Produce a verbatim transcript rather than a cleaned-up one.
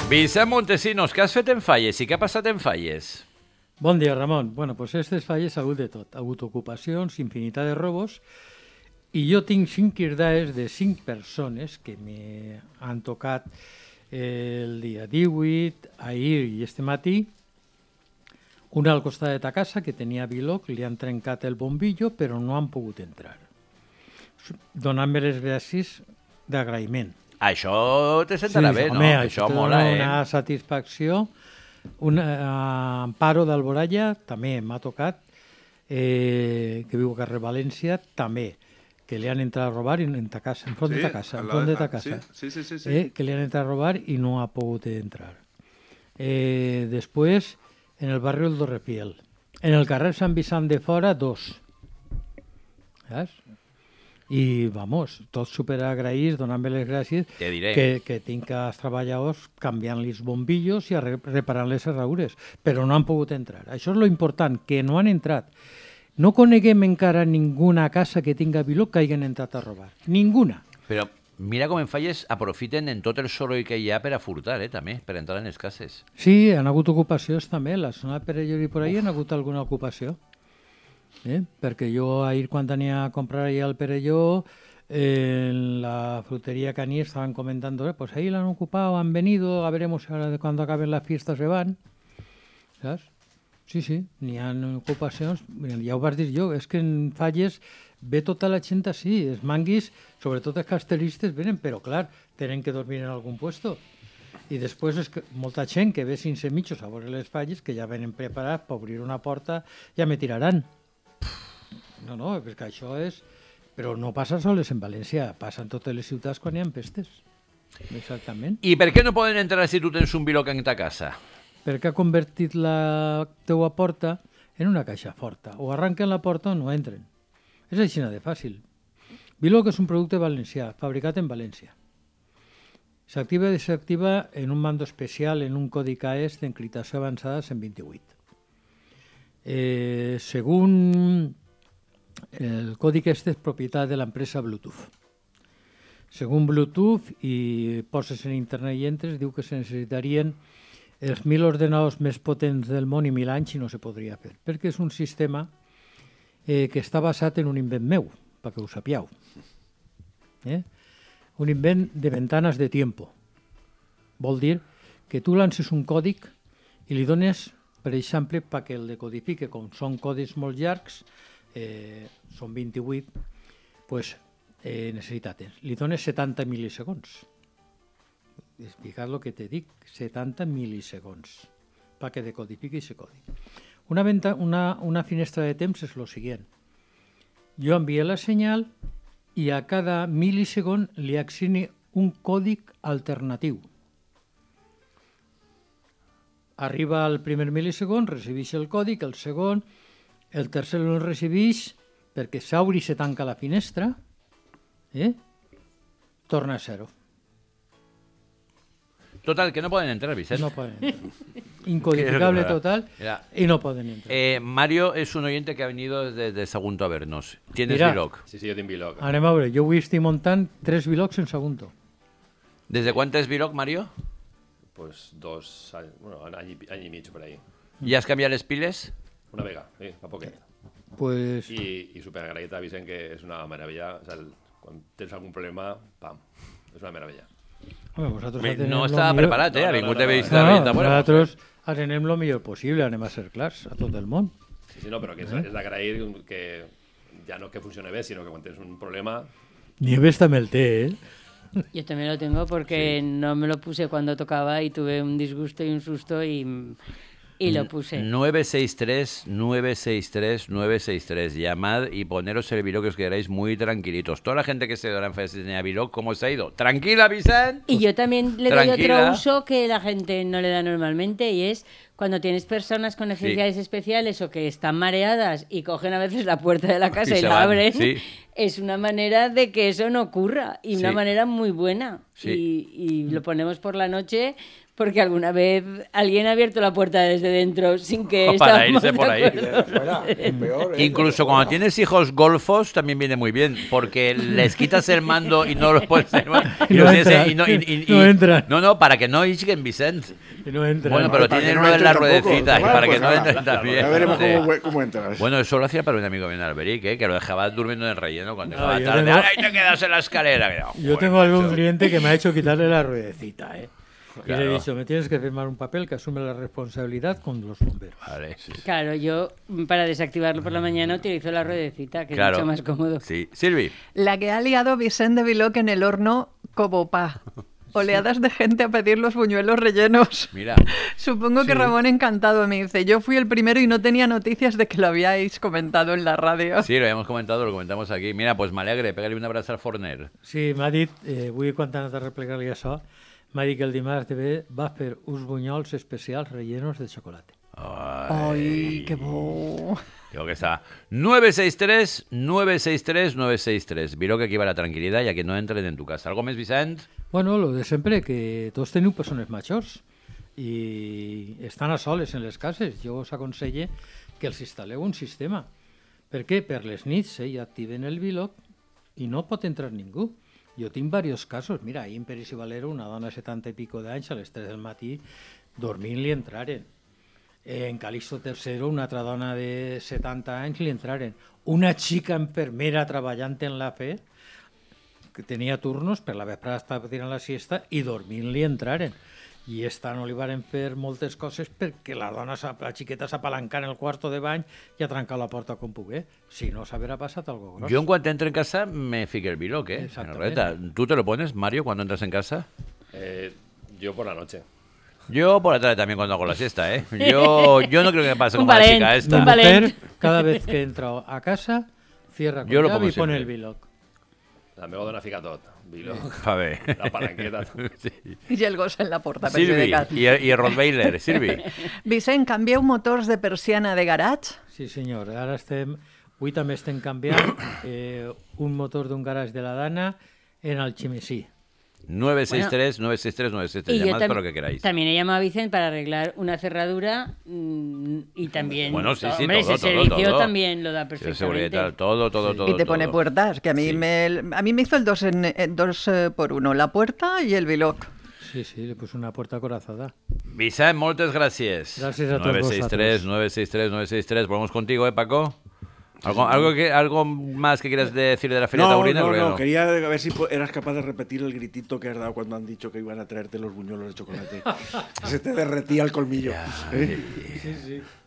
Vicent Montesinos, què has fet en Falles i què ha passat en Falles? Bon dia, Ramon. Bueno, pues aquestes falles ha hagut de tot. Ha hagut ocupacions, infinitat de robos, i jo tinc cinc irdades de cinc persones que m'han tocat el dia divuit, ahir i este matí. Una al costat de ta casa, que tenia biloc, li han trencat el bombillo, però no han pogut entrar. Donant-me les gràcies d'agraïment. Això te sentarà Sí, bé, home, no? això Això mola, eh? una satisfacció. Un eh, Amparo d'Alboralla també m'ha tocat, eh, que viu a carrer València, també, que li han entrat a robar en ta casa, en front Sí, de ta casa, al en lado front de- de ta ah, casa. sí, sí, sí, sí. Eh, que li han entrat a robar i no ha pogut entrar. Eh, després, en el barri del Dorrefiel. En el carrer Sant Vicent de Fora, dos. Saps? I, vamos, tots superagraïts, donant-me les gràcies, Te diré. que, que tinc els treballadors canviant-li els bombillos i arre- reparant les serradures, però no han pogut entrar. Això és lo important, que no han entrat. No coneguem encara ninguna casa que tinga biloc que hagin entrat a robar. Ninguna. Però mira com en Falles aprofiten en tot el soroll que hi ha per a furtar, eh, també, per entrar en les cases. Sí, han hagut ocupacions també. A la zona de Perelló i per ahí han hagut alguna ocupació. Eh? Perquè jo ahir quan tenia a comprar allà al Perelló, eh, en la frutería Caní estaban comentando, eh, pues ahí la han ocupado, han venido, a veremos ahora de cuando acaben las fiestas se van. Saps? Sí, sí, n'hi ha ocupacions. Ja ho vas dir jo, és que en Falles ve tota la gent així, els manguis, sobretot els castellistes, venen, però clar, tenen que dormir en algun puesto. I després és que molta gent que ve sense mitjos a veure les falles, que ja venen preparats per obrir una porta, ja me tiraran. No, no, perquè això és... Però no passa sols en València, passa en totes les ciutats quan hi ha pestes. Exactament. I per què no poden entrar si tu tens un biloc en ta casa? Perquè ha convertit la teua porta en una caixa forta. O arranquen la porta o no entren. És així de fàcil. Biloc és un producte valencià, fabricat en València. S'activa i desactiva en un mando especial, en un codi K E S d'encriptació avançada cent vint-i-vuit. Eh, según el codi este és propietat de l'empresa Bluetooth. Según Bluetooth, i poses en internet i entres, diu que se necessitarien els mil ordenadors més potents del món i mil anys i no se podria fer, perquè és un sistema eh, que està basat en un invent meu, perquè ho sapieu. Eh? Un invent de ventanes de tiempo. Vol dir que tu lances un còdic i li dones, per exemple, perquè el decodifique, com són codis molt llargs, eh, són vint-i-vuit, pues, eh, necessita temps. Li dones setanta mil·lisegons. Explicar el que te dic, setanta mil·lisegons, perquè decodifiqui aquest codi. Una, venta, una, una finestra de temps és el següent. Jo envio la senyal i a cada mil·lisegon li assigni un còdic alternatiu. Arriba al primer mil·lisegon, recibeix el còdic, el segon, el tercer el recibeix perquè s'obre i se tanca la finestra, eh? Torna a zero. Total, que no poden entrar, Vicent. No poden entrar. Incodificable total Mira, y no pueden entrar. eh, Mario es un oyente que ha venido desde Sagunto a vernos. ¿Tienes Mira. biloc? Sí, sí, jo tinc biloc. Anem a veure, jo avui estic muntant tres bilocs en Sagunto. ¿Desde cuánto es biloc, Mario? Pues dos anys, bueno, any, i- any i mig per ahí. ¿Ya has cambiado les piles? Una vega, sí, fa poquet. Pues I, i superagraït a Vicent, que és una meravella. O sigui, quan tens algun problema, pam, és una meravella. home, vosaltres Me- atenem no lo estava millor- preparat, eh? No, Ha no, vingut no, de no, vista No, de no, vista. Bueno, nosaltres atenem lo millor possible, anem a ser clars a tot el món. Sí, sí, no, però que és, és d'agrair que ja no que funcione bé, sinó que quan tens un problema... Nieves també el té, eh? Yo también lo tengo porque no me lo puse cuando tocaba y tuve un disgusto y un susto y, y lo puse. nueve seis tres, nueve seis tres, nueve seis tres. Llamad y poneros el biloc que os quedaréis muy tranquilitos. Toda la gente que se dará en Falles tenía biloc, ¿cómo se ha ido? ¿Tranquila, Vicent? Y yo también le doy Tranquila. otro uso que la gente no le da normalmente y es cuando tienes personas con necesidades sí. especiales o que están mareadas y cogen a veces la puerta de la casa y, y la van. abren, sí. es una manera de que eso no ocurra y sí. una manera muy buena. Sí. Y, y lo ponemos por la noche porque alguna vez alguien ha abierto la puerta desde dentro sin que... O para irse por ahí. Fuera, peor, ¿eh? Incluso cuando tienes hijos golfos también viene muy bien, porque les quitas el mando y no los puedes... Y no entran. Y no, y, y, y, no entran. No, no, para que no isquen, Vicent. Y no entran. Bueno, pero para tienen no uno en la tampoco. ruedecita, Bueno, para pues que no nada, entren también. Ya veremos Sí. cómo, cómo entras. Bueno, eso lo hacía para un amigo bien Alberic, ¿eh? Que lo dejaba durmiendo en el relleno cuando No, llegaba yo tarde. tengo- ¡Ay, te quedas en la escalera! Yo Joder, tengo algún macho. cliente que me ha hecho quitarle la ruedecita, ¿eh? Y Claro. le he dicho, me tienes que firmar un papel que asume la responsabilidad con los bomberos. Vale, sí. Claro, yo para desactivarlo por la mañana utilizo la ruedecita, que Claro. es mucho más cómodo. Sí. Silvi. La que ha liado Vicente Viloc en el horno como pa. Oleadas de gente a pedir los buñuelos rellenos. Mira. Supongo que Sí. Ramón encantado me dice, yo fui el primero y no tenía noticias de que lo habíais comentado en la radio. Sí, lo habíamos comentado, lo comentamos aquí. Mira, pues me alegre, pégale un abrazo al forner. Sí, m'ha dit, eh, vull quan anat a replegar-li això, m'ha dit que el dimarts de ve va fer uns bunyols especials rellenos de xocolate. Ai, que bo. Digo que está nueve seis tres, nueve seis tres, nueve seis tres. Viro que aquí va la tranquilidad y a que no entren en tu casa. ¿Algo més, Vicent? Bueno, lo de sempre, que tots teniu persones majors i estan a soles en les cases. Jo us aconselle que els instal·leu un sistema. Per què? Per les nits eh, ja activen el Viloc i no pot entrar ningú. Jo tinc diversos casos. Mira, ahir en Peris i Valero, una dona de setanta i pico d'anys, a les tres del matí, dormint li entraren. En Calixto tercero, una altra dona de setanta anys li entraren. Una xica enfermera treballant en la fe, que tenia turnos, per la vesprada estava tirant la siesta i dormint li entraren. I esta no li varen fer moltes coses perquè la dona, s'ha- la xiqueta s'apalanca en el quarto de bany i ha trencat la porta com pogué. Si no, s'haurà passat algo gros. Yo en cuanto entre en casa me fique el Viloc, ¿eh? Exactamente. En la ruleta. ¿Tú te lo pones, Mario, cuando entras en casa? Eh, yo por la noche. Yo por la tarde también cuando hago la siesta, ¿eh? Yo, yo no creo que me pase Un como la valent, chica Mi esta. un valent. mujer, cada vez que entra a casa, cierra con Yo lo llave pongo y pone siempre. el Viloc. La meva dona fica tot. Vilo, A ver. la palanqueta. Sí. I el gos en la porta Silvi, perjudicat. y el, y el Rottweiler, Silvi. Vicent, canvieu motors de persiana de garatge? Sí, senyor. Ara estem... Avui també estem canviant eh, un motor d'un garage de la Dana en Alchemesí. nueve seis tres, nueve seis tres, nueve seis tres. Y yo Llamad tam- para lo que queráis. también he llamado a Vicente para arreglar una cerradura mm, y también... Bueno, sí, sí, hombre, todo, ese todo, servicio todo. también lo da Sí, perfectamente. seguridad y tal, todo, todo, todo. Y te pone todo. puertas, que a mí, Sí. me, a mí me hizo el dos, en, eh, dos eh, por uno, la puerta y el Viloc. Sí, sí, le puse una puerta corazada. Vicent, moltes gràcies. Gràcies a tots nueve seis tres, vosaltres. nueve seis tres, nueve seis tres. Volvemos contigo, ¿eh, Paco? ¿Algo, algo, que, ¿Algo más que quieras decir de la Feria No, Taurina? no, Porque no, quería ver si po- eras capaz de repetir el gritito que has dado cuando han dicho que iban a traerte los buñuelos de chocolate. Se te derretía el colmillo. ¿eh? Sí, sí.